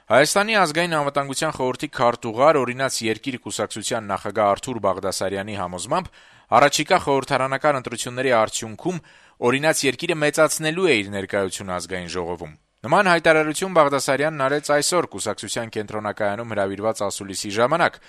Հայաստանի ազգային անվտանգության խորհրդի քարտուղար օրինաց երկիր կուսակցության նախագահ Արթուր Բաղդասարյանի համոզմամբ առաջիկա խորհրդարանական ընտրությունների արդյունքում օրինաց երկիրը մեծացնելու է իր ներկայությունը ազգային ժողովում։ Նման հայտարարություն Բաղդասարյանն արեց այսօր կուսակցության կենտրոնակայանում հրավիրված ասուլիսի ժամանակ։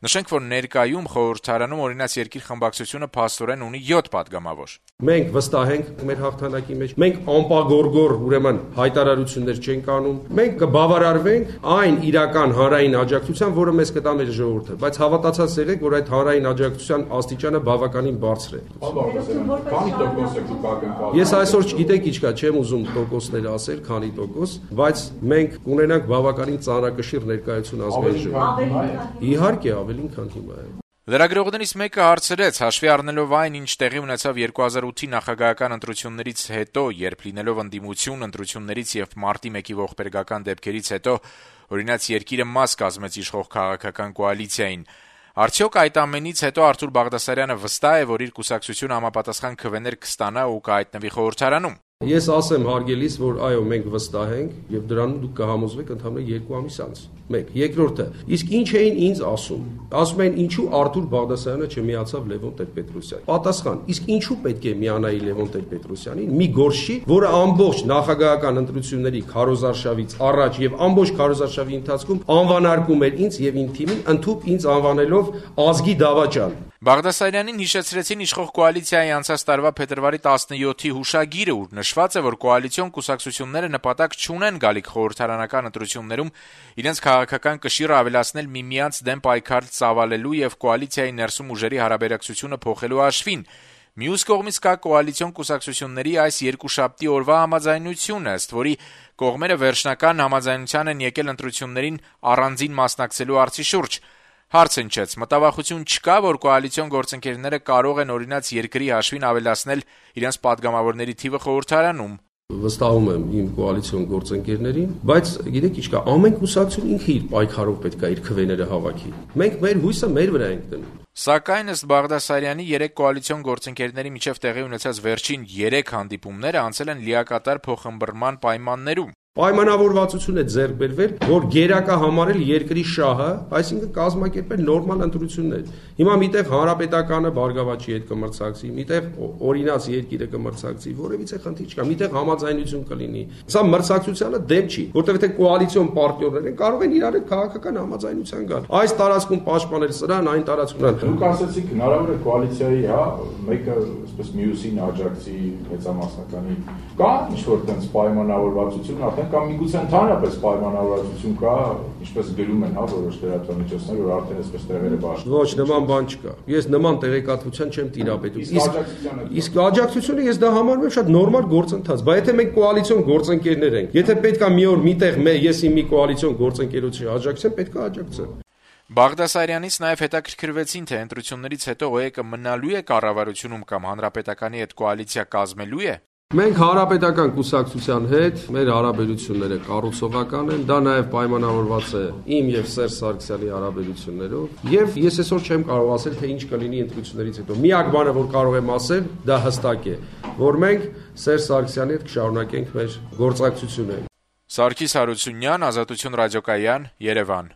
Նշենք, որ ներկայում խորհրդարանում օրինաց երկիր խմբակցությունը փաստորեն ունի 7 падգամավոր։ Մենք վստահ ենք մեր հաղթանակի մեջ, մենք անպագորգոր ուրեմն հայտարարություններ չենք անում, մենք կբավարարվենք այն իրական հանրային աջակցության, որը մեզ կտա մեր ժողովուրդը, բայց հավատացած եղեք, որ այդ հանրային աջակցության աստիճանը բավականին բարձր է։ Քանի տոկոս է կապակնկալ։ Ես այսօր չգիտեք ինչ կա, չեմ ուզում տոկոսներ ասել, քանի տոկոս, բայց մենք կունենանք բավականին ծանրակշիռ ներկայություն ազգային ժողովում։ Իհարկե ավելին, քան հիմա է։ Լրագրողներից մեկը հարցրեց, հաշվի առնելով այն, ինչ տեղի ունեցավ 2008-ի նախագահական ընտրություններից հետո, երբ լինելով ընդդիմություն ընտրություններից եւ մարտի 1-ի ողբերգական դեպքերից հետո օրինաց երկիրը մաս կազմեց իշխող քաղաքական կոալիցիային, արդյոք այդ ամենից հետո Արթուր Բաղդասարյանը վստահ է, որ իր կուսակցությունը համապատասխան քվեներ կստանա ու կհայտնվի խորհրդարանում։ Ես ասեմ հարգելիս, որ այո, մենք վստահ ենք եւ դրանում դուք կհամոզվեք ընդհանրապես 2 ամիս անց։ 1. Երկրորդը, իսկ ինչ էին ինձ ասում։ Ասում են, ինչու Արթուր Բաղդասարյանը չմիացավ Լևոն Տեր-Պետրոսյանին։ Պատասխան. իսկ ինչու պետք է միանայի Լևոն Տեր-Պետրոսյանին, մի գործի, որը ամբողջ նախագահական ընտրությունների քարոզարշավից առաջ եւ ամբողջ քարոզարշավի ընթացքում անվանարկում էր ինձ եւ իմ թիմին, ընդհուպ ինձ անվանելով ազգի դավաճան։ Բաղդասարյանին հիշեցրեցին իշխող կոալիցիայի անցած տարվա փետրվարի 17-ի հուշագիրը, ուր նշված է, որ կոալիցիոն կուսակցությունները նպատակ չունեն գալիք խորհրդարանական ընտրություններում իրենց քաղաքական կշիռը ավելացնել միմյանց դեմ պայքար ծավալելու եւ կոալիցիայի ներսում ուժերի հարաբերակցությունը փոխելու հաշվին։ Մյուս կողմից կա կոալիցիոն կուսակցությունների այս երկուշաբթի օրվա համաձայնությունը, ըստ որի կողմերը վերջնական համաձայնության են եկել ընտրություններին առանձին մասնակցելու հարցի շուրջ։ Հարց հնչեց, մտավախություն չկա, որ կոալիցիոն գործընկերները կարող են օրինաց երկրի հաշվին ավելացնել իրենց падգամավորների թիվը խորհրդարանում։ Վստահում եմ իմ կոալիցիոն գործընկերներին, բայց գիտեք ինչ կա, ամեն կուսակցություն ինքը իր պայքարով պետք է իր քվեները հավաքի։ Մենք մեր հույսը մեր վրա ենք դնում։ Սակայն ըստ Բաղդասարյանի 3 կոալիցիոն գործընկերների միջև տեղի ունեցած վերջին 3 հանդիպումները անցել են լիակատար փոխըմբռնման պայմաններում։ Պայմանավորվածություն է ձեռք բերվել, որ գերակա համարել երկրի շահը, այսինքն կազմակերպել նորմալ ընտրություններ։ Հիմա միտեղ հանրապետականը Բարգավաճի հետ կմրցակցի, միտեղ օրինաց երկիրը կմրցակցի, որևիցե խնդիր չկա, միտեղ համաձայնություն կլինի։ Սա մրցակցությանը դեպ չի, որտեղ թե կոալիցիոն պարտներներ են, կարող են իրար հետ քաղաքական համաձայնության գալ։ Այս տարածքում պաշտպանել սրան, այն տարածքում այն։ Դուք ասացիք հնարավոր է կոալիցիայի, մեկը այսպես մյուսին աջակցի մեծամասնականի։ Կա ինչ-որ տենց պայմանավորվածություն արդեն կամ միգուցե ընդհանրապես պայմանավորվածություն կա, ինչպես գրում են, որոշ լրատվամիջոցներ, որ արդեն այսպես տեղերը բաշխում։ Ոչ, նման բան չկա։ Ես նման տեղեկատվության չեմ տիրապետում։ Իսկ աջակցությունը ես դա համարում եմ շատ նորմալ գործընթաց, բայց եթե մենք կոալիցիոն գործընկերներ ենք, եթե պետքա մի օր միտեղ ես իմ մի կոալիցիոն գործընկերոջի աջակցեմ, պետքա աջակցեմ։ Բաղդասարյանից նաև հետաքրքրվեցին, թե ընտրություններից հետո ՕԵԿ-ը մնալու է կառավարությունում կամ հանրապետականի հետ կոալիցիա կազմելու է։ Մենք հանրապետական կուսակցության հետ մեր հարաբերությունները կառուցողական են, դա նաև պայմանավորված է իմ եւ Սերժ Սարգսյանի հարաբերություններով, եւ ես այսօր չեմ կարող ասել, թե ինչ կլինի ընտրություններից հետո։ Միակ բանը, որ կարող եմ ասել, դա հստակ է, որ մենք Սերժ Սարգսյանի հետ կշարունակենք մեր գործակցությունը։ Սարգիս Հարությունյան, Ազատություն ռադիոկայան, Երևան։